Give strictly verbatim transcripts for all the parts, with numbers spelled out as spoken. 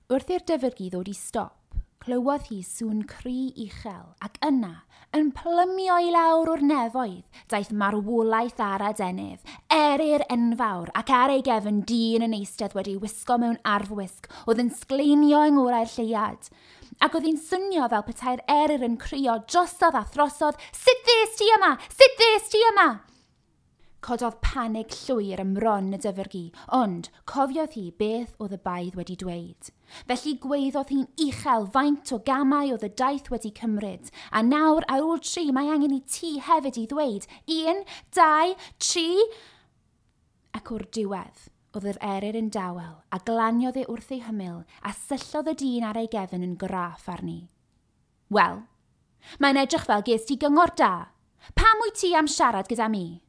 Wrth i'r dyfrgi ddod i stop, clywodd hi sŵn cri uchel ac yna, yn plymio i lawr o'r nefoedd, daeth marwolaeth ar adenydd, eryr enfawr ac ar ei gefn dyn yn eistedd wedi wisgo mewn arfwisg oedd yn sgleinio yng ngolau'r lleuad. Ac oedd hi'n swnio fel petai'r eryr yn crio drosodd a throsodd, "Sut ddes ti yma? Sut ddes ti yma?" Cododd panig llwyr ym mron y dyfrgi, ond cofiodd hi beth oedd y baedd wedi dweud. Felly gweiddodd hi'n uchel faint o gamau oedd y daith wedi cymryd, a nawr ar ôl tri mae angen i ti hefyd i ddweud un, dau, tri. Ac o'r diwedd, oedd yr eryr yn dawel, a glaniodd e wrth ei hymyl, a syllodd y dyn ar ei gefn yn graff arni. "Wel, mae'n edrych fel ges ti gyngor da. Pam wyt ti am siarad gyda mi?"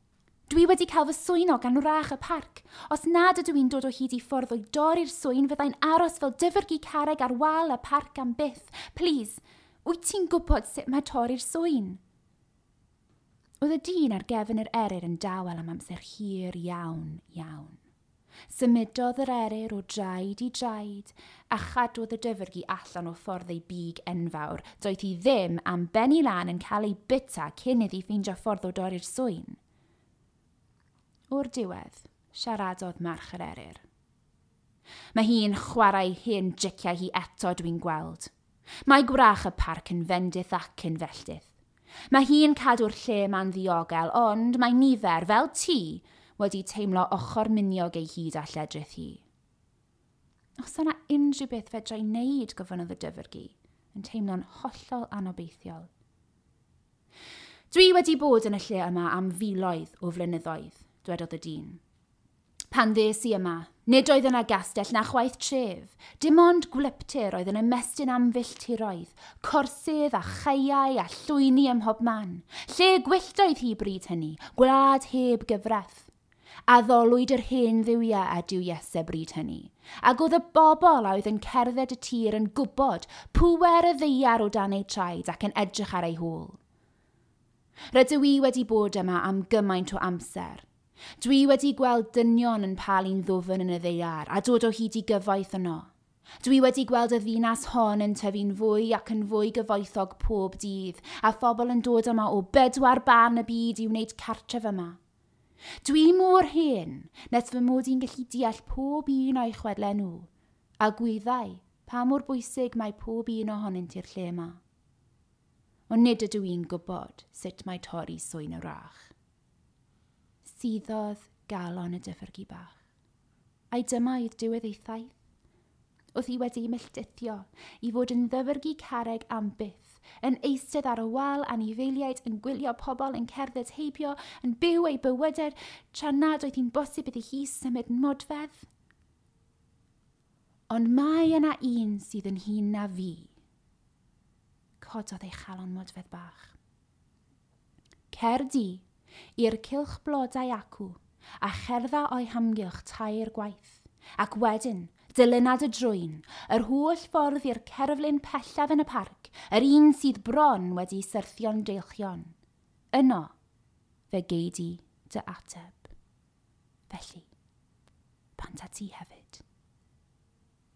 "Dwi wedi cael fy swyno gan wrach y parc. Os nad ydw i'n dod o hyd i ffordd o'i dorri'r swyn, fyddai'n aros fel dyfrgi carreg ar wal y parc am byth. Plîs, wyt ti'n gwybod sut mae torri'r swyn?" Oedd y dyn ar gefn yr eryr yn dawel am amser hir iawn, iawn. Symudodd yr eryr o draed i draed a chadwodd y dyfrgi allan o ffordd ei big enfawr. Doedd hi ddim am benni lan yn cael ei bita cyn iddi ffeindio ffordd o dorri'r swyn. O'r diwedd, siaradodd march yr eryr. "Mae hi'n chwarae hen driciau hi eto, dwi'n gweld. Mae gwrach y parc yn fendith ac yn felltith. Mae hi'n cadw'r lle ma'n ddiogel, ond mae nifer, fel ti, wedi teimlo ochr miniog ei hyd a lledrith hi." "Os yna unrhyw beth fedra i wneud," gofynnodd y dyfrgi, yn teimlo'n hollol anobeithiol. "Dwi wedi bod yn y lle yma am filoedd o flynyddoedd," dwedodd y dyn. "Pan ddes i yma, nid oedd yna gastell na chwaith tref, dim ond gwlyptir oedd yn ymestyn am filltiroedd, corsydd a chaeau a llwyni ym mhob man. Lle gwyllt oedd hi bryd hynny, gwlad heb gyfraith. Addolwyd yr hen dduwiau a duwiesau bryd hynny, ac oedd y bobl a oedd yn cerdded y tir yn gwybod pŵer y ddaear o dan eu traed ac yn edrych ar ei hôl. Rydw i wedi bod yma am gymaint o amser. Dwi wedi gweld dynion yn palu'n ddwfn yn y ddaear a dod o hyd i gyfoeth yno. Dwi wedi gweld y ddinas hon yn tyfu'n fwy ac yn fwy gyfoethog pob dydd, a phobl yn dod yma o bedwar ban y byd i wneud cartref yma. Dwi mor hen nes fy mod i'n gallu deall pob un o'i chwedlau nhw, a gwyddai pa mor bwysig mae pob un ohonynt i'r lle yma. Ond nid ydw i'n gwybod sut mae torri swyn y wrach." Suddodd galon y dyfrgi bach. Ai dyma oedd diwedd ei thaith? Oedd hi wedi melltithio i fod yn ddyfrgi carreg am byth, yn eistedd ar y wal anifeiliaid yn gwylio pobl yn cerdded heibio, yn byw ei bywydau, tra nad oedd hi'n bosib iddi hi symud modfedd? "Ond mae yna un sydd yn hŷn na fi." Cododd ei chalon modfedd bach. "Cer di i'r cylch blodau acw a cherdda o'i hamgylch tair gwaith, ac wedyn dilyna dy drwyn, yr holl ffordd i'r cerflun pellaf yn y parc, yr un sydd bron wedi syrthio'n deilchion. Yno, fe gei di dy ateb. Felly, bant â ti hefyd."